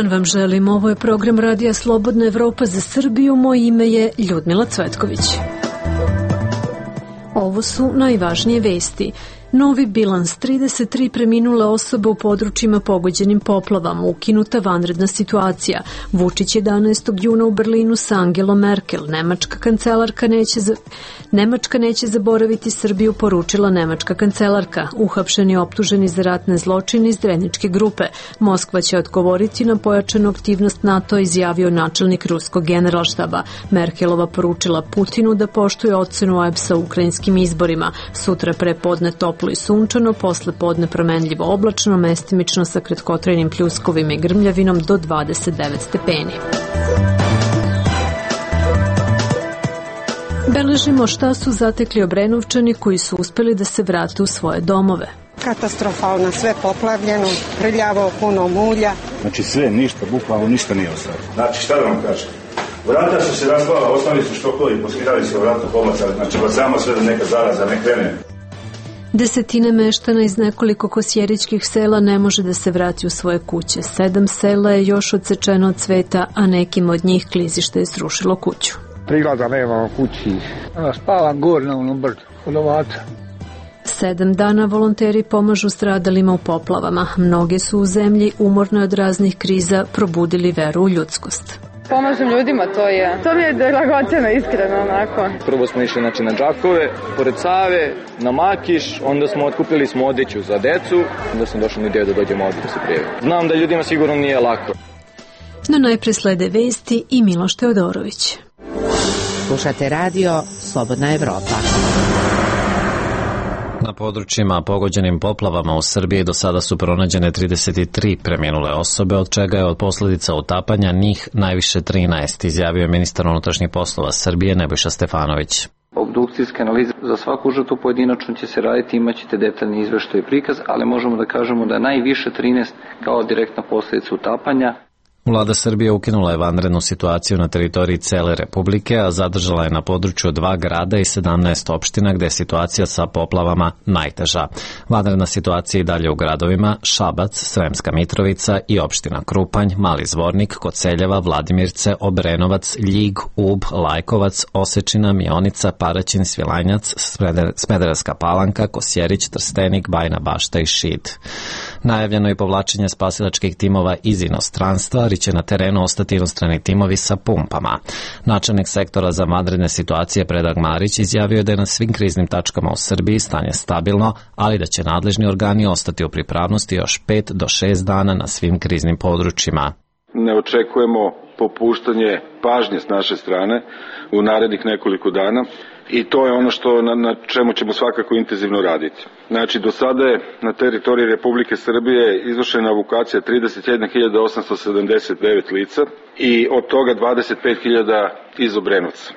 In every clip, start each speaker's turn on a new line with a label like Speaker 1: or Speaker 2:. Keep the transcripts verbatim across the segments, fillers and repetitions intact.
Speaker 1: dan vam želim. Ovo je program Radija Slobodna Evropa za Srbiju. Moje ime je Ljudmila Cvetković. Ovo su najvažnije vesti. Novi bilans, trideset tri preminule osobe u područjima pogođenim poplavama, ukinuta vanredna situacija. Vučić jedanaestog juna u Berlinu sa Angelom Merkel. Nemačka kancelarka neće, za... Nemačka neće zaboraviti Srbiju, poručila nemačka kancelarka. Uhapšeni optuženi za ratne zločine iz Dreničke grupe. Moskva će odgovoriti na pojačanu aktivnost NATO, izjavio načelnik ruskog generalštaba. Merkelova poručila Putinu da poštuje ocenu O E B S-a u ukrajinskim izborima. Sutra prepodne toplo i sunčano, posle podne promenljivo oblačno, mestimično sa kratkotrajnim pljuskovima i grmljavinom do dvadeset devet stepeni. Beležimo šta su zatekli Obrenovčani koji su uspeli da se vrate u svoje domove.
Speaker 2: Katastrofalno, sve poplavljeno, prljavo, puno mulja.
Speaker 3: Znači sve, ništa, bukvalno ništa nije ostalo. Znači šta da vam kažem? Vrata su se raspala, ostali su štokovi, poskidali se vrata, pomacali, znači samo sve da neka zaraza ne krene.
Speaker 1: Desetine meštana iz nekoliko kosjeričkih sela ne može da se vrati u svoje kuće. Sedam sela je još odsečeno od cveta, a nekim od njih klizište je srušilo kuću.
Speaker 4: Prilaza nema u kući. Spavam gore na onom brdu, kod ovaca.
Speaker 1: Sedam dana volonteri pomažu stradalima u poplavama. Mnoge su u zemlji, umorne od raznih kriza, probudili veru u ljudskost.
Speaker 5: Pomažem ljudima, to je, to mi je dragoceno, iskreno, onako.
Speaker 6: Prvo smo išli znači, na Đakove, pored Save, na Makiš, onda smo otkupili smo odeću za decu, onda sam došao na ideju da dođemo ovdje da se prijavimo. Znam da ljudima sigurno nije lako.
Speaker 1: No najpre slede vesti i Miloš Teodorović.
Speaker 7: Slušate radio Slobodna Evropa.
Speaker 8: Na područjima pogođenim poplavama u Srbiji do sada su pronađene trideset tri preminule osobe, od čega je od posljedica utapanja njih najviše trinaest, izjavio je ministar unutrašnjih poslova Srbije Nebojša Stefanović.
Speaker 9: Obdukcijske analize za svaku žrtvu pojedinačno će se raditi, imaćete detaljni izveštaj i prikaz, ali možemo da kažemo da najviše trinaest kao direktna posljedica utapanja.
Speaker 8: Vlada Srbije ukinula je vanrednu situaciju na teritoriji cele Republike, a zadržala je na području dva grada i sedamnaest opština gde je situacija sa poplavama najteža. Vanredna situacija i dalje u gradovima Šabac, Sremska Mitrovica i opština Krupanj, Mali Zvornik, Koceljeva, Vladimirce, Obrenovac, Ljig, Ub, Lajkovac, Osečina, Mionica, Paraćin, Svilajnac, Smederevska Palanka, Kosjerić, Trstenik, Bajina Bašta i Šid. Najavljeno je povlačenje spasilačkih timova iz inostranstva, ali će na terenu ostati inostrani timovi sa pumpama. Načelnik sektora za vanredne situacije Predrag Marić izjavio je da je na svim kriznim tačkama u Srbiji stanje stabilno, ali da će nadležni organi ostati u pripravnosti još pet do šest dana na svim kriznim područjima.
Speaker 10: Ne očekujemo popuštanje pažnje s naše strane u narednih nekoliko dana i to je ono što na, na čemu ćemo svakako intenzivno raditi. Znači, do sada je na teritoriji Republike Srbije izvršena evakuacija trideset jedna hiljada osamsto sedamdeset devet lica i od toga dvadeset pet hiljada iz Obrenovca.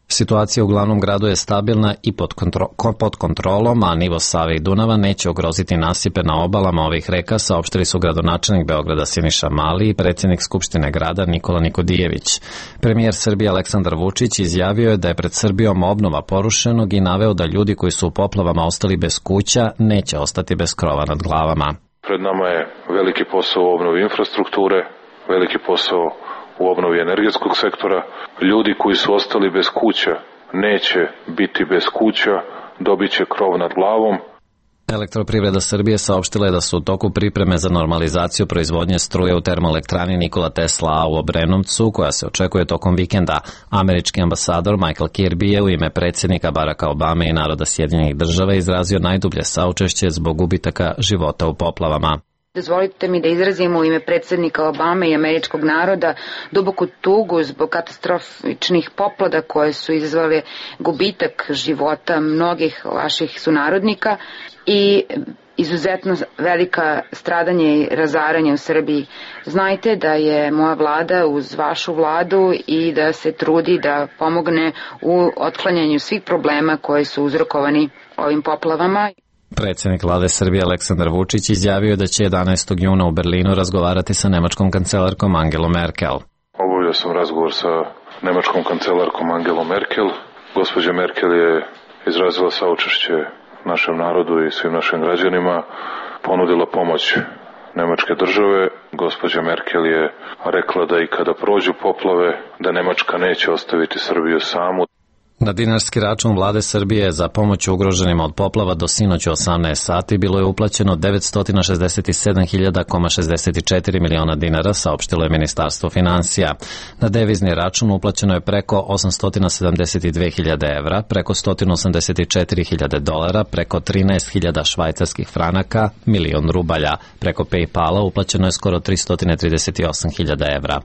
Speaker 8: Situacija u glavnom gradu je stabilna i pod, kontro, pod kontrolom, a nivo Save i Dunava neće ugroziti nasipe na obalama ovih reka, saopštili su gradonačelnik Beograda Siniša Mali i predsjednik Skupštine grada Nikola Nikodijević. Premijer Srbije Aleksandar Vučić izjavio je da je pred Srbijom obnova porušenog i naveo da ljudi koji su u poplavama ostali bez kuća neće ostati bez krova nad glavama.
Speaker 11: Pred nama je veliki posao u obnovi infrastrukture, veliki posao u obnovi energetskog sektora. Ljudi koji su ostali bez kuća neće biti bez kuća, dobit će krov nad glavom.
Speaker 8: Elektroprivreda Srbije saopštila je da su u toku pripreme za normalizaciju proizvodnje struje u termoelektrani Nikola Tesla A u Obrenovcu, koja se očekuje tokom vikenda. Američki ambasador Michael Kirby je u ime predsjednika Baracka Obame i naroda Sjedinjenih država izrazio najdublje saučešće zbog gubitaka života u poplavama.
Speaker 12: Dozvolite mi da izrazimo u ime predsjednika Obame i američkog naroda duboku tugu zbog katastrofičnih poplada koje su izazvale gubitak života mnogih vaših sunarodnika i izuzetno velika stradanje i razaranje u Srbiji. Znajte da je moja vlada uz vašu vladu i da se trudi da pomogne u otklanjanju svih problema koji su uzrokovani ovim poplavama.
Speaker 8: Predsjednik vlade Srbije Aleksandar Vučić izjavio je da će jedanaestog juna u Berlinu razgovarati sa nemačkom kancelarkom Angelom Merkel.
Speaker 11: Obavio sam razgovor sa nemačkom kancelarkom Angelom Merkel. Gospođa Merkel je izrazila saučešće našem narodu i svim našim građanima, ponudila pomoć Nemačke države. Gospođa Merkel je rekla da i kada prođu poplave, da Nemačka neće ostaviti Srbiju samu.
Speaker 8: Na dinarski račun vlade Srbije za pomoć ugroženima od poplava do sinoć u osamnaest sati bilo je uplaćeno devetsto šezdeset sedam hiljada šezdeset četiri miliona dinara, saopštilo je Ministarstvo finansija. Na devizni račun uplaćeno je preko osamsto sedamdeset dve hiljade evra, preko sto osamdeset četiri hiljade dolara, preko trinaest hiljada švajcarskih franaka, milion rubalja. Preko PayPala uplaćeno je skoro tristo trideset osam hiljada evra.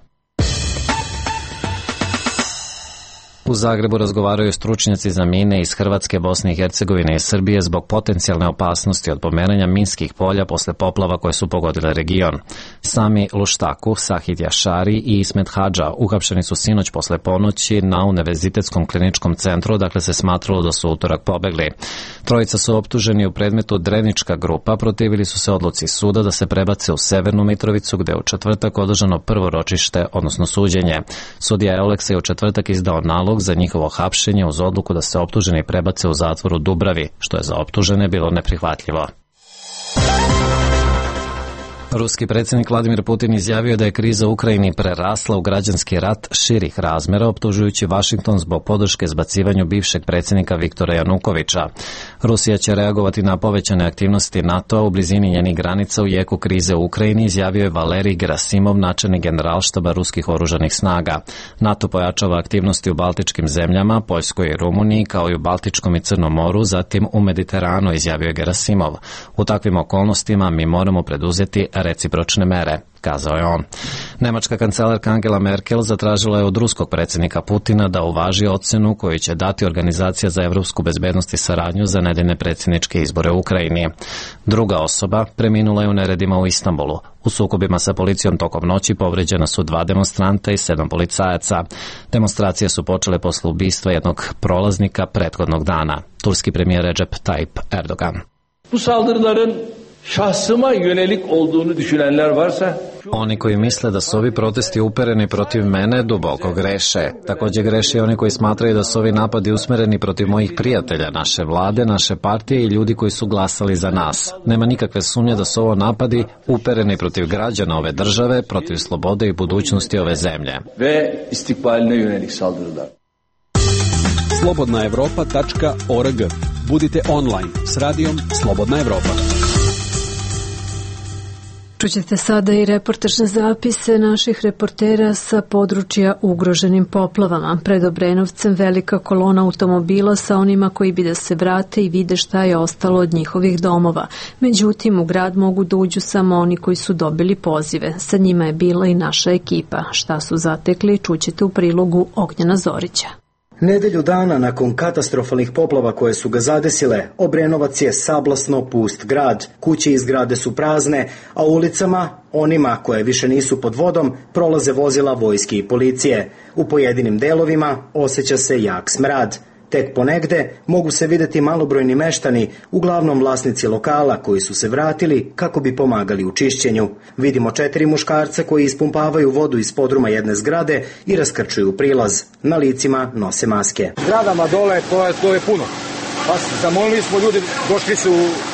Speaker 8: U Zagrebu razgovaraju stručnjaci za mine iz Hrvatske, Bosne i Hercegovine i Srbije zbog potencijalne opasnosti od pomeranja minskih polja posle poplava koje su pogodile region. Sami Luštaku, Sahid Jašari i Ismet Hadža uhapšeni su sinoć posle ponoći na Univerzitetskom kliničkom centru, dakle se smatralo da su utorak pobegli. Trojica su optuženi u predmetu Drenička grupa, protivili su se odluci suda da se prebace u Severnu Mitrovicu, gde je u četvrtak održano prvo ročište, odnosno suđenje. Sudija Euleksa je u četvrtak izdao nalog za njihovo hapšenje uz odluku da se optuženi prebace u zatvor u Dubravi, što je za optužene bilo neprihvatljivo. Ruski predsjednik Vladimir Putin izjavio da je kriza u Ukrajini prerasla u građanski rat širih razmera, optužujući Vašington zbog podrške zbacivanju bivšeg predsjednika Viktora Janukovića. Rusija će reagovati na povećane aktivnosti NATO-a u blizini njenih granica u jeku krize u Ukrajini, izjavio je Valerij Gerasimov, načelnik generalštaba ruskih oružanih snaga. NATO pojačava aktivnosti u baltičkim zemljama, Poljskoj i Rumuniji, kao i u Baltičkom i Crnom moru, zatim u Mediteranu, izjavio je Gerasimov. U takvim okolnostima mi moramo preduzeti recipročne mere, kazao je on. Nemačka kancelarka Angela Merkel zatražila je od ruskog predsjednika Putina da uvaži ocenu koju će dati Organizacija za evropsku bezbednost i saradnju za nedeljne predsjedničke izbore u Ukrajini. Druga osoba preminula je u neredima u Istanbulu. U sukobima sa policijom tokom noći povređena su dva demonstranta i sedam policajaca. Demonstracije su počele posle ubistva jednog prolaznika prethodnog dana. Turski premijer Recep Tayyip Erdogan.
Speaker 13: Bu saldırıların şahsıma yönelik olduğunu düşünenler varsa
Speaker 8: Oni koji misle da su ovi protesti upereni protiv mene duboko greše. Također greše i oni koji smatraju da su ovi napadi usmereni protiv mojih prijatelja, naše vlade, naše partije i ljudi koji su glasali za nas. Nema nikakve sumnje da su ovo napadi upereni protiv građana ove države, protiv slobode i budućnosti ove zemlje.
Speaker 13: Ve istikbaline yönelik saldırılar.
Speaker 14: slobodna evropa tačka org. Budite online s radijom Slobodna Evropa.
Speaker 1: Čućete sada i reportažne zapise naših reportera sa područja ugroženim poplavama. Pred Obrenovcem velika kolona automobila sa onima koji bi da se vrate i vide šta je ostalo od njihovih domova. Međutim, u grad mogu da uđu samo oni koji su dobili pozive. Sa njima je bila i naša ekipa. Šta su zatekli, čućete u prilogu Ognjena Zorića.
Speaker 15: Nedelju dana nakon katastrofalnih poplava koje su ga zadesile, Obrenovac je sablasno pust grad. Kuće i zgrade su prazne, a ulicama, onima koje više nisu pod vodom, prolaze vozila vojske i policije. U pojedinim delovima osjeća se jak smrad. Tek ponegde mogu se videti malobrojni meštani, uglavnom vlasnici lokala koji su se vratili kako bi pomagali u čišćenju. Vidimo četiri muškarca koji ispumpavaju vodu iz podruma jedne zgrade i raskrčuju prilaz. Na licima nose maske.
Speaker 16: Zgradama dole to je, to je puno. Pa zamolili smo ljudi, došli su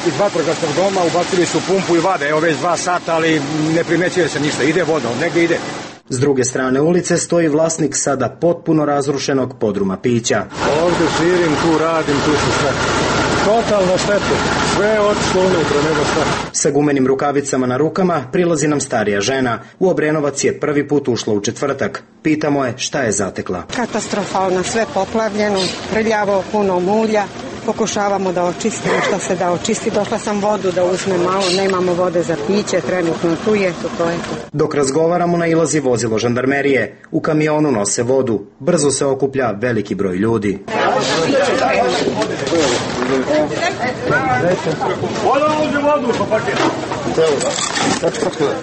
Speaker 16: iz vatrogasnog doma, ubacili su pumpu i vade, evo već dva sata, ali ne primećuje se ništa, ide voda, negdje ide.
Speaker 15: S druge strane ulice stoji vlasnik sada potpuno razrušenog podruma pića.
Speaker 16: Ovdje živim, tu radim, tu su sve. Totalno štetu. Sve je otišlo unutra, nego šta.
Speaker 15: Sa gumenim rukavicama na rukama prilazi nam starija žena. U Obrenovac je prvi put ušla u četvrtak. Pitamo je šta je zatekla.
Speaker 2: Katastrofalno, sve poplavljeno, prljavo, puno mulja. Pokušavamo da očistimo što se da očisti. Došla sam vodu da uzmem malo, nemamo vode za piće, trenutno tu je, to, to je to.
Speaker 15: Dok razgovaramo nailazi vozilo žandarmerije. U kamionu nose vodu. Brzo se okuplja veliki broj ljudi.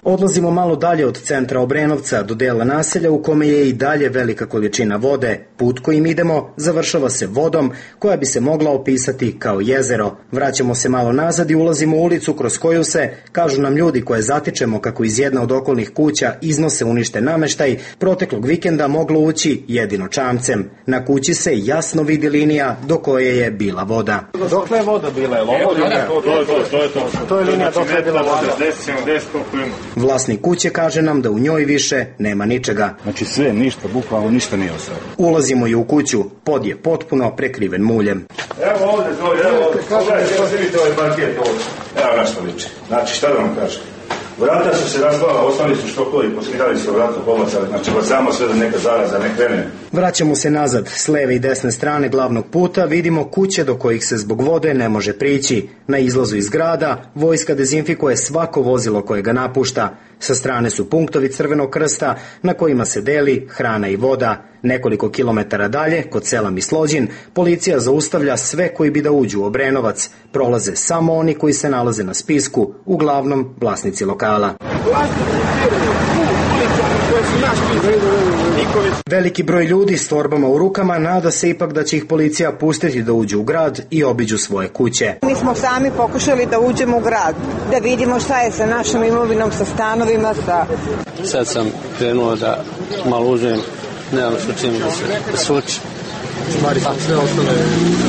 Speaker 15: Odlazimo malo dalje od centra Obrenovca do dela naselja u kome je i dalje velika količina vode. Put kojim idemo završava se vodom koja bi se mogla opisati kao jezero. Vraćamo se malo nazad i ulazimo u ulicu kroz koju se, kažu nam ljudi koje zatičemo kako iz jedne od okolnih kuća iznose uništen nameštaj, proteklog vikenda moglo ući jedino čamcem. Na kući se jasno vidi linija do koje je bila voda.
Speaker 16: Dokle je voda bila? Je ovo linija? To je to, to je to. To je linija dokle je bila voda.
Speaker 17: šezdeset sedamdeset koliko ima.
Speaker 15: Vlasnik kuće kaže nam da u njoj više nema ničega.
Speaker 3: Znači sve, ništa, bukvalno ništa nije ostalo.
Speaker 15: Ulazimo i u kuću, pod je potpuno prekriven muljem.
Speaker 3: Evo ovdje, zove, evo ovdje, pogledajte, evo se vidite ovaj parket ovdje. Evo na što liči. Znači šta da vam kažem? Vrata su se razvala, ostali su štokovi, poskidali se vrata, pobacali, znači samo sve da neka zaraza ne krene.
Speaker 15: Vraćamo se nazad, s leve i desne strane glavnog puta vidimo kuće do kojih se zbog vode ne može prići. Na izlazu iz grada vojska dezinfikuje svako vozilo koje ga napušta. Sa strane su punktovi Crvenog krsta na kojima se deli hrana i voda. Nekoliko kilometara dalje, kod sela Mislođin, policija zaustavlja sve koji bi da uđu u Obrenovac. Prolaze samo oni koji se nalaze na spisku, uglavnom vlasnici lokala. Veliki broj ljudi s torbama u rukama nada se ipak da će ih policija pustiti da uđu u grad i obiđu svoje kuće.
Speaker 2: Mi smo sami pokušali da uđemo u grad, da vidimo šta je sa našom imovinom, sa stanovima, sa...
Speaker 18: Sad sam krenuo da malo uđem, nemam što čim da se suči.
Speaker 19: Stvari sam sve ostale?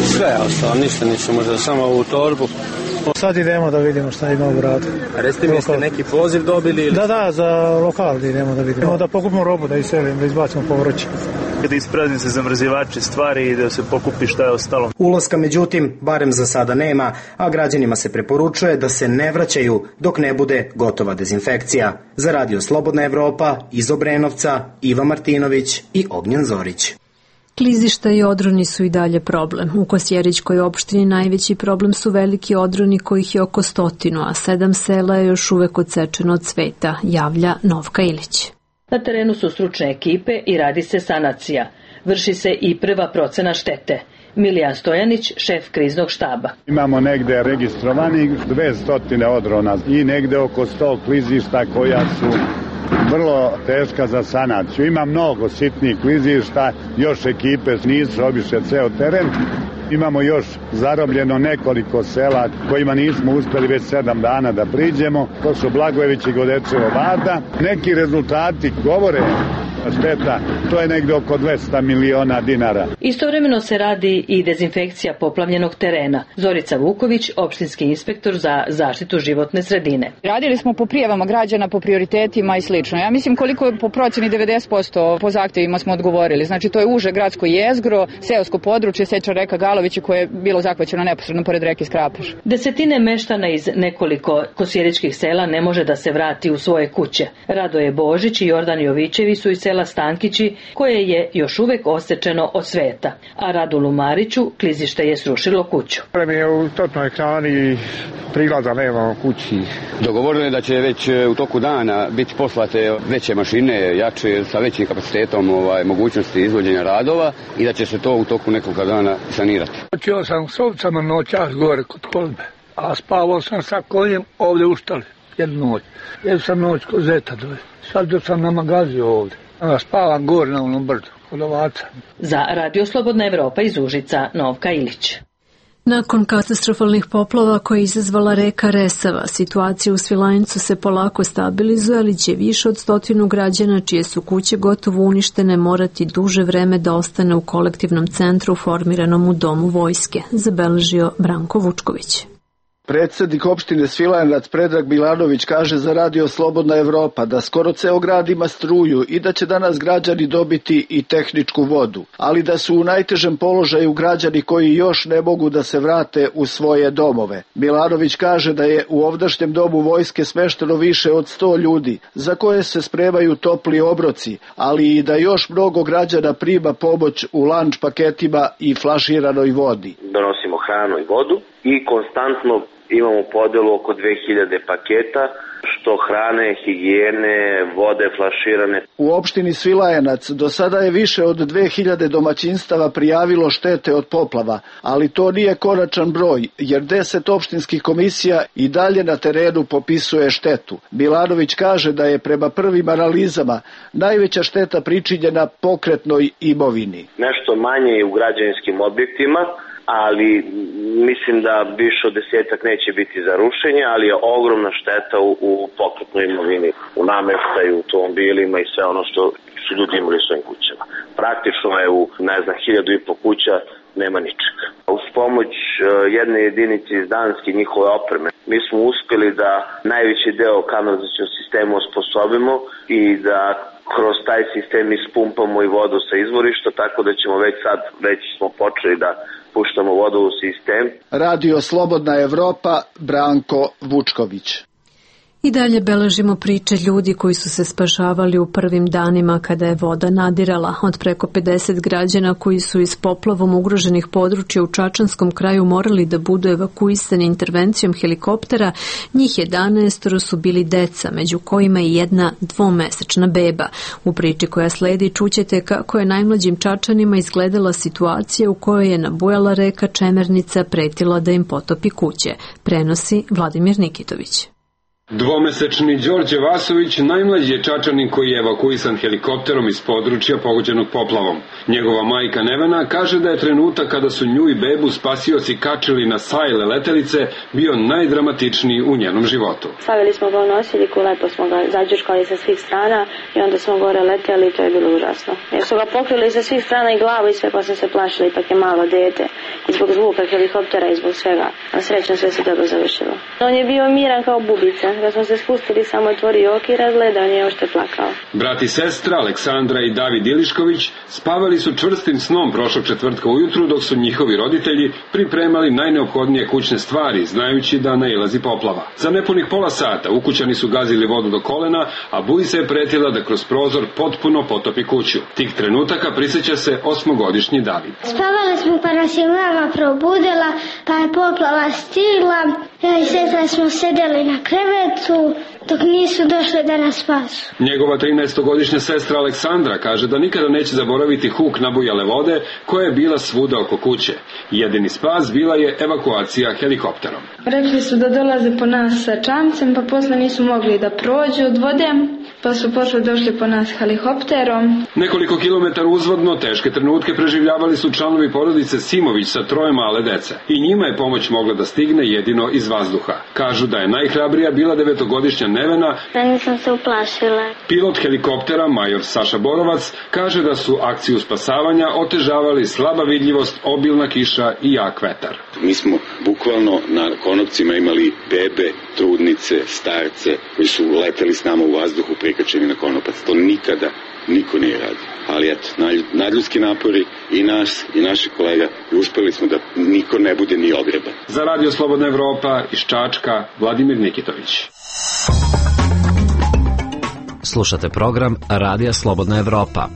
Speaker 18: Sve je ostalo, ništa ništa, možda samo u torbu.
Speaker 19: Sad idemo da vidimo šta ima u gradu.
Speaker 18: A recite mi, ste neki poziv dobili? Ili...
Speaker 19: Da, da, za lokal da idemo da vidimo. Da pokupimo robu, da iselimo, da izbacimo povrće.
Speaker 17: Da isprazni se zamrzivači stvari i da se pokupi šta je ostalo.
Speaker 15: Ulaska, međutim, barem za sada nema, a građanima se preporučuje da se ne vraćaju dok ne bude gotova dezinfekcija. Za Radio Slobodna Evropa, iz Obrenovca, Iva Martinović i Ognjen Zorić.
Speaker 1: Klizišta i odroni su i dalje problem. U Kosjerićkoj opštini najveći problem su veliki odroni kojih je oko stotinu, a sedam sela je još uvek odsečeno od cveta, javlja Novka Ilić.
Speaker 20: Na terenu su stručne ekipe i radi se sanacija. Vrši se i prva procena štete. Milijan Stojanić, šef kriznog štaba.
Speaker 21: Imamo negde registrovanih dve stotine odrona i negde oko sto klizišta koja su vrlo teška za sanaciju. Ima mnogo sitnih klizišta, još ekipe nisu obišle ceo teren. Imamo još zarobljeno nekoliko sela kojima nismo uspeli već sedam dana da priđemo. To su Blagojević i Godečevo Vada. Neki rezultati govore šteta, to je negde oko dvesta miliona dinara.
Speaker 20: Istovremeno se radi i dezinfekcija poplavljenog terena. Zorica Vuković, opštinski inspektor za zaštitu životne sredine.
Speaker 5: Radili smo po prijavama građana, po prioritetima i slično. Ja mislim koliko je po procjeni devedeset posto po zahtjevima smo odgovorili. Znači to je uže gradsko jezgro, seosko područje, seča reka Galović koje je bilo zahvaćeno neposredno pored reke Skrapaš.
Speaker 20: Desetine meštana iz nekoliko kosjeričkih sela ne može da se vrati u svoje kuće. Radoje Božić i Jordan Jovićevi su iz sela Stankići, koje je još uvek osečeno od sveta, a Radulu Mariću klizište je srušilo kuću.
Speaker 4: Mi je u totnoj krani, prilaza nema kući.
Speaker 22: Dogovorili je da će već u toku dana biti poslate veće mašine, jače, sa većim kapacitetom ovaj, mogućnosti izvođenja radova i da će se to u toku nekog dana sanirati.
Speaker 4: Počeo sam s ovcama noćas gore kod kolbe, a spavao sam sa konjem ovdje u štali jednu noć. Jednu sam noć kod zeta dole. Sad sam na magaziju ovdje. Spavam gore na onom brdu, kod ovaca.
Speaker 20: Za Radio Slobodna Evropa iz Užica, Novka Ilić.
Speaker 1: Nakon katastrofalnih poplava koje je izazvala reka Resava, situacija u Svilajncu se polako stabilizuje, ali će više od stotinu građana čije su kuće gotovo uništene morati duže vreme da ostane u kolektivnom centru formiranom u Domu vojske, zabeležio Branko Vučković.
Speaker 23: Predsednik opštine Svilajnac Predrag Milanović kaže za Radio Slobodna Evropa da skoro ceo grad ima struju i da će danas građani dobiti i tehničku vodu, ali da su u najtežem položaju građani koji još ne mogu da se vrate u svoje domove. Milanović kaže da je u ovdašnjem domu vojske smešteno više od sto ljudi, za koje se spremaju topli obroci, ali i da još mnogo građana prima pomoć u lanč paketima i flaširanoj vodi.
Speaker 24: Donosimo hranu i vodu i konstantno imamo podelu oko dve hiljade paketa, što hrane, higijene, vode flaširane.
Speaker 23: U opštini Svilajanac do sada je više od dve hiljade domaćinstava prijavilo štete od poplava, ali to nije konačan broj, jer deset opštinskih komisija i dalje na terenu popisuje štetu. Milanović kaže da je prema prvim analizama najveća šteta pričinjena pokretnoj imovini.
Speaker 24: Nešto manje je u građevinskim objektima, ali mislim da više od desetak neće biti za rušenje, ali je ogromna šteta u, u pokretnoj imovini, u nameštaju, u automobilima i sve ono što su ljudi imali u svojim kućama. Praktično je u, ne znam, hiljadu i po kuća nema ničega. Uz pomoć jedne jedinice iz Danske njihove opreme, mi smo uspjeli da najveći deo kanalizacijnog sistema osposobimo i da kroz taj sistem ispumpamo i vodu sa izvorišta, tako da ćemo već sad, već smo počeli da puštamo vodu u sistem.
Speaker 23: Radio Slobodna Evropa, Branko Vučković.
Speaker 1: I dalje beležimo priče ljudi koji su se spašavali u prvim danima kada je voda nadirala. Od preko pedeset građana koji su iz poplavom ugroženih područja u Čačanskom kraju morali da budu evakuisani intervencijom helikoptera, njih jedanaest su bili deca, među kojima i jedna dvomesečna beba. U priči koja sledi čućete kako je najmlađim Čačanima izgledala situacija u kojoj je nabujala reka Čemernica pretila da im potopi kuće. Prenosi Vladimir Nikitović.
Speaker 6: Dvomesečni Đorđe Vasović najmlađi je Čačanin koji je evakuisan helikopterom iz područja pogođenog poplavom. Njegova majka Nevena kaže da je trenutak kada su nju i bebu spasioci kačili na sajle letelice bio najdramatičniji u njenom životu.
Speaker 7: Stavili smo ga u nosiljku, lepo smo ga zađuškali sa svih strana i onda smo gore leteli i to je bilo užasno. Jer su ga pokrili sa svih strana i glavu i sve, pa sam se plašila, ipak je malo dete. I zbog zvuka helikoptera i zbog svega. A srećno sve se dobro završilo. On je bio miran kao bubica. Kad smo se spustili, samo otvorio oki i razgledao, nije ošte plakao.
Speaker 6: Brat i sestra Aleksandra i David Ilišković spavali su čvrstim snom prošlog četvrtka ujutru dok su njihovi roditelji pripremali najneophodnije kućne stvari, znajući da nailazi poplava. Za nepunih pola sata ukućani su gazili vodu do kolena, a buji se je pretila da kroz prozor potpuno potopi kuću. Tih trenutaka prisjeća se osmogodišnji David.
Speaker 9: Spavali smo pa nas je mama probudila, pa je poplava stigla, ja i sestra smo sedeli na krevetu dok nisu došli da nas spasu.
Speaker 6: Njegova trinaestogodišnja sestra Aleksandra kaže da nikada neće zaboraviti huk nabujale vode koja je bila svuda oko kuće. Jedini spas bila je evakuacija helikopterom.
Speaker 7: Rekli su da dolaze po nas sa čamcem, pa posle nisu mogli da prođu od vode, pa su posle došli po nas helikopterom.
Speaker 6: Nekoliko kilometara uzvodno teške trenutke preživljavali su članovi porodice Simović sa troje male dece. I njima je pomoć mogla da stigne jedino iz vazduha. Kažu da je najhrabrija bila devetogodišnja Nevena.
Speaker 9: Ja nisam se uplašila.
Speaker 6: Pilot helikoptera, major Saša Borovac, kaže da su akciju spasavanja otežavali slaba vidljivost, obilna kiša i jak vetar.
Speaker 10: Mi smo bukvalno na konopcima imali bebe, trudnice, starce koji su leteli s nama u vazduhu prikačeni na konopac. To nikada niko nije radio. Ali eto, nadljudski napori i nas i naših kolega i uspeli smo da niko ne bude ni ogreban.
Speaker 6: Za Radio Slobodna Evropa iz Čačka, Vladimir Nikitović.
Speaker 8: Slušate program Radija Slobodna Evropa.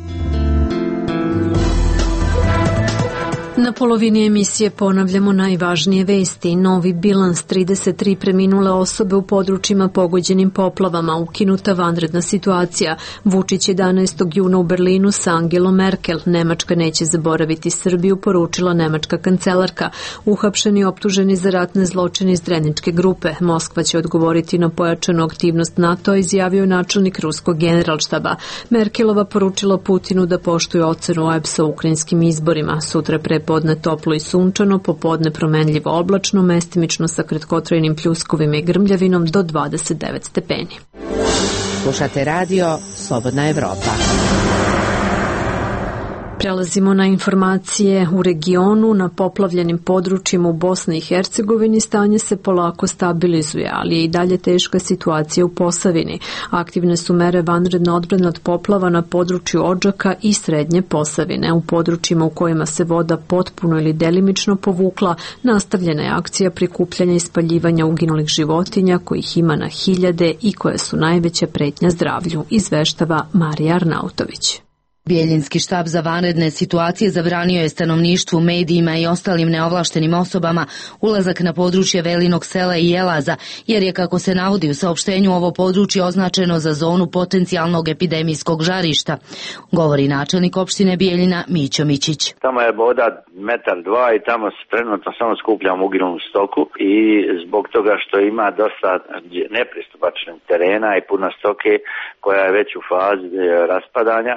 Speaker 1: Na polovini emisije ponavljamo najvažnije vesti. Novi bilans, trideset tri preminule osobe u područjima pogođenim poplavama, ukinuta vanredna situacija. Vučić jedanaestog juna u Berlinu sa Angelom Merkel. Nemačka neće zaboraviti Srbiju, poručila nemačka kancelarka. Uhapšeni optuženi za ratne zločine iz Dreničke grupe. Moskva će odgovoriti na pojačanu aktivnost NATO, izjavio načelnik ruskog generalštaba. Merkelova poručila Putinu da poštuje ocenu O E B S-a u ukrajinskim izborima. Sutra pre podne toplo i sunčano, popodne promenljivo oblačno, mestimično sa kratkotrajnim pljuskovima i grmljavinom do dvadeset devet stepeni.
Speaker 25: Slušate radio Slobodna Evropa.
Speaker 1: Prelazimo na informacije u regionu. Na poplavljenim područjima u Bosni i Hercegovini stanje se polako stabilizuje, ali je i dalje teška situacija u Posavini. Aktivne su mere vanredne odbrane od poplava na području Odžaka i Srednje Posavine. U područjima u kojima se voda potpuno ili delimično povukla, nastavljena je akcija prikupljanja i spaljivanja uginulih životinja, kojih ima na hiljade i koje su najveća pretnja zdravlju, izveštava Marija Arnautović.
Speaker 25: Bijeljinski štab za vanredne situacije zabranio je stanovništvu, medijima i ostalim neovlaštenim osobama ulazak na područje Velinog sela i Jelaza, jer je, kako se navodi u saopštenju, ovo područje označeno za zonu potencijalnog epidemijskog žarišta, govori načelnik opštine Bijeljina Mićo Mićić.
Speaker 26: Tamo je voda metar dva i tamo se trenutno samo skupljamo uginulu stoku i zbog toga što ima dosta nepristupačnih terena i puno stoke koja je već u fazi raspadanja,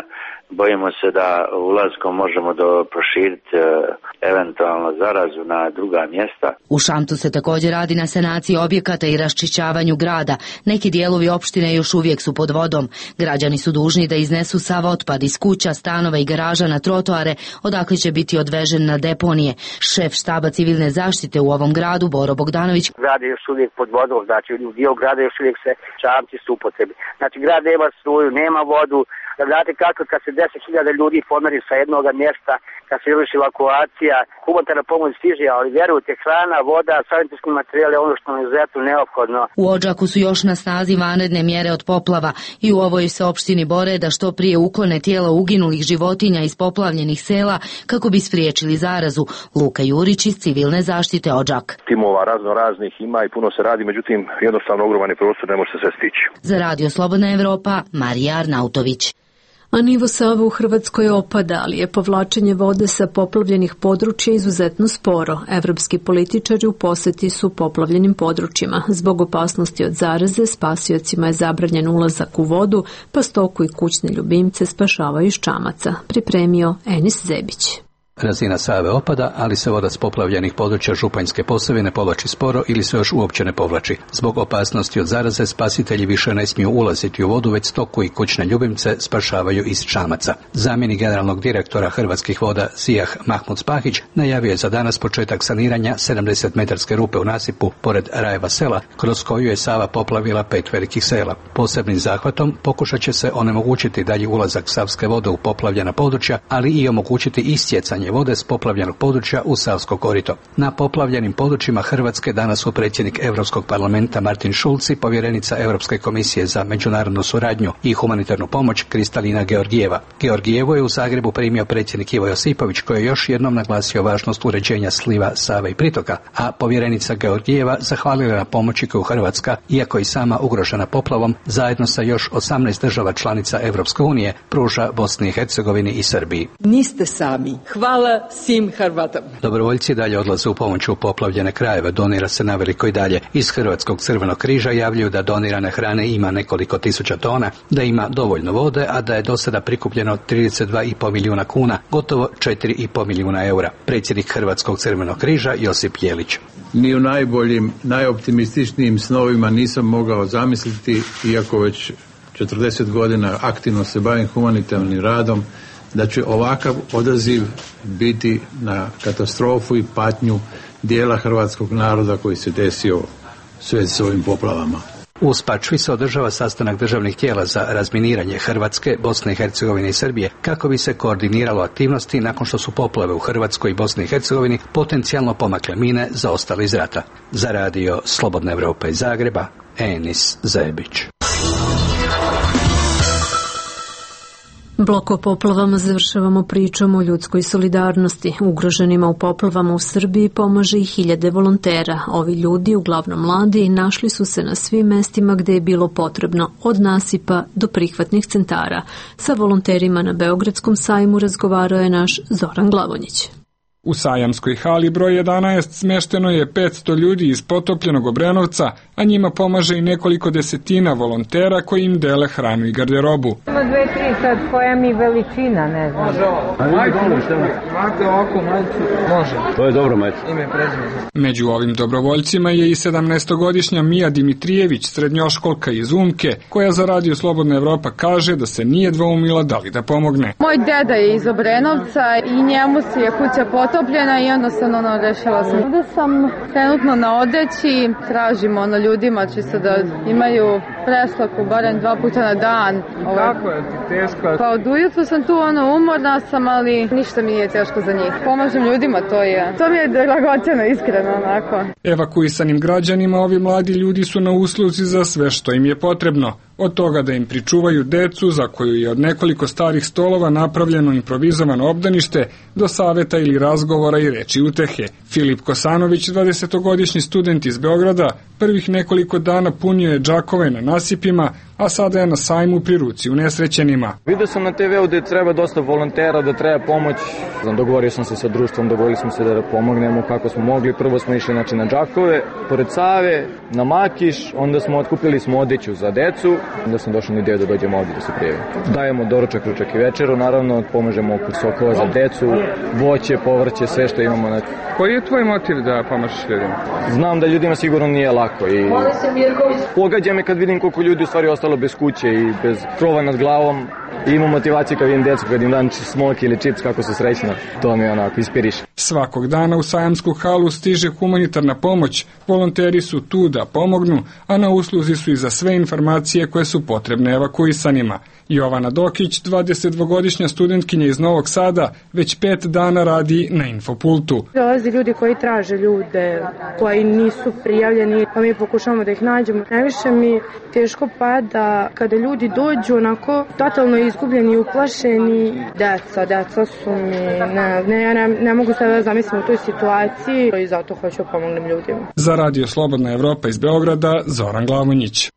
Speaker 26: bojimo se da ulazkom možemo do proširiti e, eventualno zarazu na druga mjesta.
Speaker 25: U Šamtu se također radi na sanaciji objekata i raščišćavanju grada. Neki dijelovi opštine još uvijek su pod vodom. Građani su dužni da iznesu sav otpad iz kuća, stanova i garaža na trotoare, odakle će biti odvežen na deponije. Šef štaba civilne zaštite u ovom gradu, Boro Bogdanović.
Speaker 3: Grad je još uvijek pod vodom, znači u dio grada još uvijek se Šamci su upotrebi. Znači grad nema struju, nema vodu. Da znate kako kad se deset hiljada ljudi pomeri sa jednog mjesta, kad se izvrši evakuacija, humanitarna pomoć stiže, ali vjerujte, hrana, voda, sanitetski materijal je ono što nam je izuzetno neophodno.
Speaker 25: U Odžaku su još na snazi vanredne mjere od poplava i u ovoj se opštini bore da što prije uklone tijela uginulih životinja iz poplavljenih sela kako bi spriječili zarazu. Luka Jurić iz civilne zaštite Odžak.
Speaker 11: Timova razno raznih ima i puno se radi, međutim jednostavno ogroman je prostor, ne može se sve stići.
Speaker 25: Za Radio Slobodna Evropa, Marija Arnautović.
Speaker 1: A nivo Save u Hrvatskoj opada, ali je povlačenje vode sa poplavljenih područja izuzetno sporo. Evropski političari u poseti su poplavljenim područjima. Zbog opasnosti od zaraze, spasiocima je zabranjen ulazak u vodu, pa stoku i kućne ljubimce spašavaju iz čamaca. Pripremio Enis Zebić.
Speaker 12: Razina Save opada, ali se voda s poplavljenih područja Županjske Posavine povlači sporo ili se još uopće ne povlači. Zbog opasnosti od zaraze spasitelji više ne smiju ulaziti u vodu, već stoku i kućne ljubimce spašavaju iz čamaca. Zamjenik generalnog direktora Hrvatskih voda Zijah Mahmud Spahić najavio je za danas početak saniranja sedamdeset metarske rupe u nasipu pored Rajeva sela, kroz koju je Sava poplavila pet velikih sela. Posebnim zahvatom pokušat će se onemogućiti dalji ulazak savske vode u poplavljena područja, ali i omogućiti istjecanje vode s poplavljenog područja u Savsko korito. Na poplavljenim područjima Hrvatske danas su predsjednik Europskog parlamenta Martin Schulz i povjerenica Europske komisije za međunarodnu suradnju i humanitarnu pomoć Kristalina Georgijeva. Georgijevo je u Zagrebu primio predsjednik Ivo Josipović, koji je još jednom naglasio važnost uređenja sliva Save i pritoka, a povjerenica Georgijeva zahvalila na pomoći koju Hrvatska, iako i sama ugrožena poplavom, zajedno sa još osamnaest država članica Europske unije pruža Bosni i Hercegovini i Srbiji.
Speaker 13: Niste sami. Hvala svim Hrvatama.
Speaker 12: Dobrovoljci dalje odlaze u pomoć u poplavljene krajeve, donira se na veliko i dalje. Iz Hrvatskog crvenog križa javljaju da donirane hrane ima nekoliko tisuća tona, da ima dovoljno vode, a da je do sada prikupljeno trideset dva i pol milijuna kuna, gotovo četiri i pol milijuna eura. Predsjednik Hrvatskog crvenog križa Josip Jelić.
Speaker 14: Ni u najboljim, najoptimističnijim snovima nisam mogao zamisliti, iako već četrdeset godina aktivno se bavim humanitarnim radom, da će ovakav odaziv biti na katastrofu i patnju dijela hrvatskog naroda koji se desio sve s ovim poplavama.
Speaker 12: U Spačvi se održava sastanak državnih tijela za razminiranje Hrvatske, Bosne i Hercegovine i Srbije kako bi se koordiniralo aktivnosti nakon što su poplave u Hrvatskoj i Bosni i Hercegovini potencijalno pomakle mine zaostale iz rata. Za Radio Slobodna Evropa iz Zagreba, Enis Zebić.
Speaker 1: Blok o poplavama završavamo pričom o ljudskoj solidarnosti. Ugroženima u poplavama u Srbiji pomaže i hiljade volontera. Ovi ljudi, uglavnom mladi, našli su se na svim mestima gde je bilo potrebno, od nasipa do prihvatnih centara. Sa volonterima na Beogradskom sajmu razgovarao je naš Zoran Glavonjić.
Speaker 16: U sajamskoj hali broj jedanaest smešteno je petsto ljudi iz potopljenog Obrenovca, a njima pomaže i nekoliko desetina volontera koji im dele hranu i garderobu.
Speaker 27: Ima dve, tri sad, koja mi veličina, ne znam.
Speaker 16: Može ovo. Majte, imate ovako, majte, može.
Speaker 12: To je dobro, majte.
Speaker 16: Ime prezime. Među ovim dobrovoljcima je i sedamnaestogodišnja Mija Dimitrijević, srednjoškolka iz Umke, koja za Radio Slobodna Evropa kaže da se nije dvoumila da li da pomogne.
Speaker 28: Moj deda je iz Obrenovca i njemu se je kuća potopljena i jednostavno ono rešila sam. Ovde sam trenutno na odeći, tražim ono ljudima čisto da imaju preslaku barem dva puta na dan.
Speaker 16: Ovo... Kako je teško?
Speaker 28: Pa od ujutru sam tu ono umorna sam, ali ništa mi nije teško za njih. Pomažem ljudima, to je. To mi je dragoceno, iskreno onako.
Speaker 16: Evakuisanim građanima ovi mladi ljudi su na usluzi za sve što im je potrebno. Od toga da im pričuvaju decu, za koju je od nekoliko starih stolova napravljeno improvizovano obdanište, do saveta ili razgovora i reči utehe. Filip Kosanović, dvadesetogodišnji student iz Beograda, prvih nekoliko dana punio je džakove na nasipima, a sada je na sajmu pri ruci unesrećenima.
Speaker 2: Vidio sam na te veu da treba dosta volontera, da treba pomoć. Dogovorio sam se sa društvom, dogovorili smo se da pomognemo kako smo mogli. Prvo smo išli znači, na Đakove, pored Save, na Makiš, onda smo otkupili smo odeću za decu, onda sam došao na ideju da dođemo ovdje da se prijavimo. Dajemo doručak, ručak i večeru, naravno pomažemo oko sokova za decu, voće, povrće, sve što imamo. Na...
Speaker 16: Koji je tvoj motiv da pomažeš ljudima?
Speaker 2: Znam da ljudima sigurno nije lako i pogađa me kad vidim koliko ljudi u stvari ostalo bez kuće i bez krova nad glavom. I imam motivaciju kad vidim djecu, kad im dan smoki ili čips, kako su srećna, to mi onako ispiriše.
Speaker 16: Svakog dana u sajamsku halu stiže humanitarna pomoć, volonteri su tu da pomognu, a na usluzi su i za sve informacije koje su potrebne evakuisanima. Jovana Dokić, dvadesetdvogodišnja studentkinja iz Novog Sada, već pet dana radi na Infopultu.
Speaker 28: Dolazi ljudi koji traže ljude, koji nisu prijavljeni, pa mi pokušamo da ih nađemo. Najviše mi teško pada kada ljudi dođu onako totalno izgubljeni, uplašeni. Deca, deca su mi, ne, ne, ja ne, ne mogu se da zamislim u toj situaciji i zato hoću pomognem ljudima.
Speaker 16: Za Radio Slobodna Evropa iz Beograda, Zoran Glavonjić.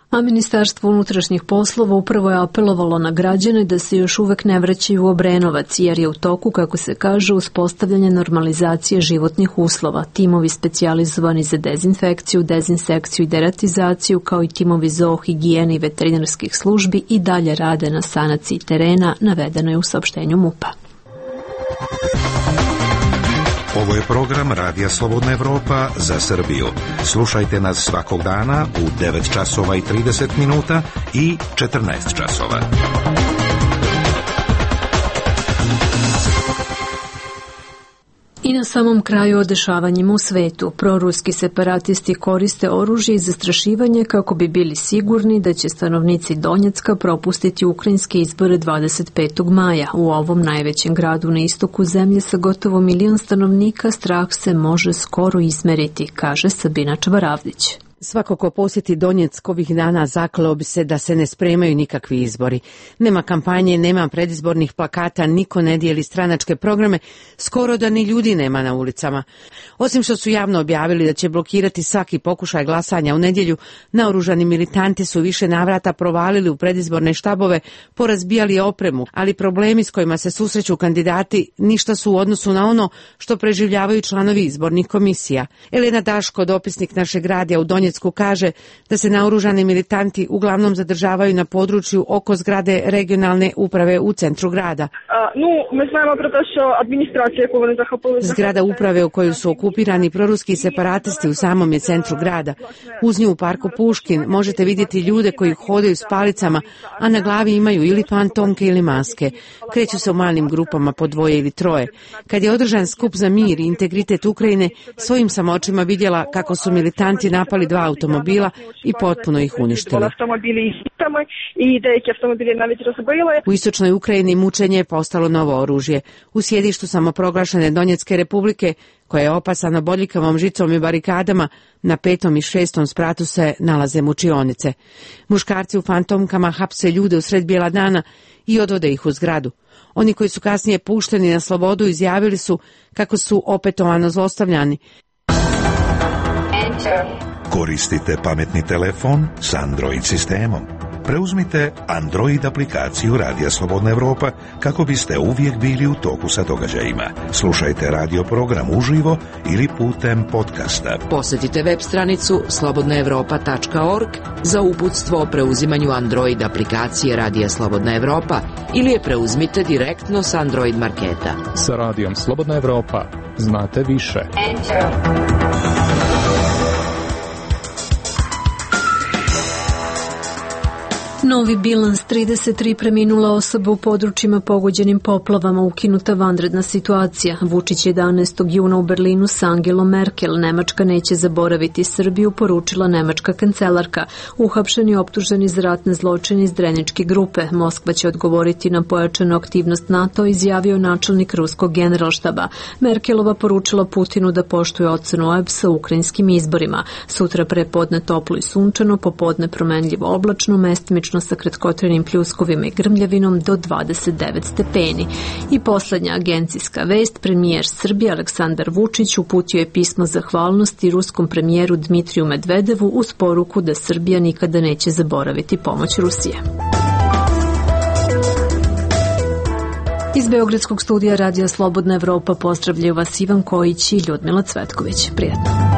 Speaker 1: A Ministarstvo unutrašnjih poslova upravo je apelovalo na građane da se još uvek ne vraćaju u Obrenovac, jer je u toku, kako se kaže, uspostavljanje normalizacije životnih uslova. Timovi specijalizovani za dezinfekciju, dezinsekciju i deratizaciju, kao i timovi zoohigijene i veterinarskih službi i dalje rade na sanaciji terena, navedeno je u saopštenju MUP-a.
Speaker 5: Ovo je program Radija Slobodna Evropa za Srbiju. Slušajte nas svakog dana u devet časova i trideset minuta i četrnaest časova.
Speaker 1: I na samom kraju o dešavanjima u svetu. Proruski separatisti koriste oružje i zastrašivanje kako bi bili sigurni da će stanovnici Donjecka propustiti ukrajinske izbore dvadeset petog maja. U ovom najvećem gradu na istoku zemlje sa gotovo milion stanovnika strah se može skoro izmeriti, kaže Sabina Čvaravdić.
Speaker 15: Svako ko posjeti Donjeck ovih dana zakleo bi se da se ne spremaju nikakvi izbori. Nema kampanje, nema predizbornih plakata, niko ne dijeli stranačke programe, skoro da ni ljudi nema na ulicama. Osim što su javno objavili da će blokirati svaki pokušaj glasanja u nedjelju, naoružani militanti su više navrata provalili u predizborne štabove, porazbijali opremu, ali problemi s kojima se susreću kandidati ništa su u odnosu na ono što preživljavaju članovi izbornih komisija. Elena Daško, dopisnik našeg radija u Donjecku, kaže da se naoružani militanti uglavnom zadržavaju na području oko zgrade regionalne uprave u centru grada. Zgrada uprave u kojoj su okupirani proruski separatisti u samom je centru grada. Uz nju u parku Puškin možete vidjeti ljude koji hodaju s palicama, a na glavi imaju ili fantomke ili maske. Kreću se u malim grupama po dvoje ili troje. Kad je održan skup za mir i integritet Ukrajine, svojim sam očima vidjela kako su militanti napali dva automobila i potpuno ih uništili. U istočnoj Ukrajini mučenje je postalo novo oružje. U sjedištu samoproglašene Donjecke republike, koja je opasana bodljikavom žicom i barikadama, na petom i šestom spratu se nalaze mučionice. Muškarci u fantomkama hapse ljude u sred bijela dana i odvode ih u zgradu. Oni koji su kasnije pušteni na slobodu izjavili su kako su opetovano zlostavljani.
Speaker 5: Koristite pametni telefon s Android sistemom. Preuzmite Android aplikaciju Radija Slobodna Evropa kako biste uvijek bili u toku sa događajima. Slušajte radio program uživo ili putem podcasta.
Speaker 17: Posjetite web stranicu slobodna evropa tačka org za uputstvo o preuzimanju Android aplikacije Radija Slobodna Evropa ili je preuzmite direktno s Android marketa.
Speaker 18: Sa Radijom Slobodna Evropa znate više.
Speaker 17: Enter.
Speaker 1: Novi bilans, trideset tri preminula osoba u područjima pogođenim poplavama, ukinuta vanredna situacija. Vučić jedanaestog juna u Berlinu s Angelom Merkel. Nemačka neće zaboraviti Srbiju, poručila nemačka kancelarka. Uhapšeni i optuženi za ratne zločine iz Dreničke grupe. Moskva će odgovoriti na pojačanu aktivnost NATO, izjavio načelnik ruskog generalštaba. Merkelova poručila Putinu da poštuje ocenu O E B S-a u ukrajinskim izborima. Sutra prepodne toplo i sunčano, popodne promenljivo oblačno, mestimično oblačno sa kratkotrenim pljuskovima i grmljavinom do dvadeset devet stepeni. I poslednja agencijska vest, premijer Srbije Aleksandar Vučić uputio je pismo zahvalnosti ruskom premijeru Dmitriju Medvedevu uz poruku da Srbija nikada neće zaboraviti pomoć Rusije. Iz Beogradskog studija Radija Slobodna Evropa pozdravljaju vas Ivan Kojić i Ljudmila Cvetković. Prijetno.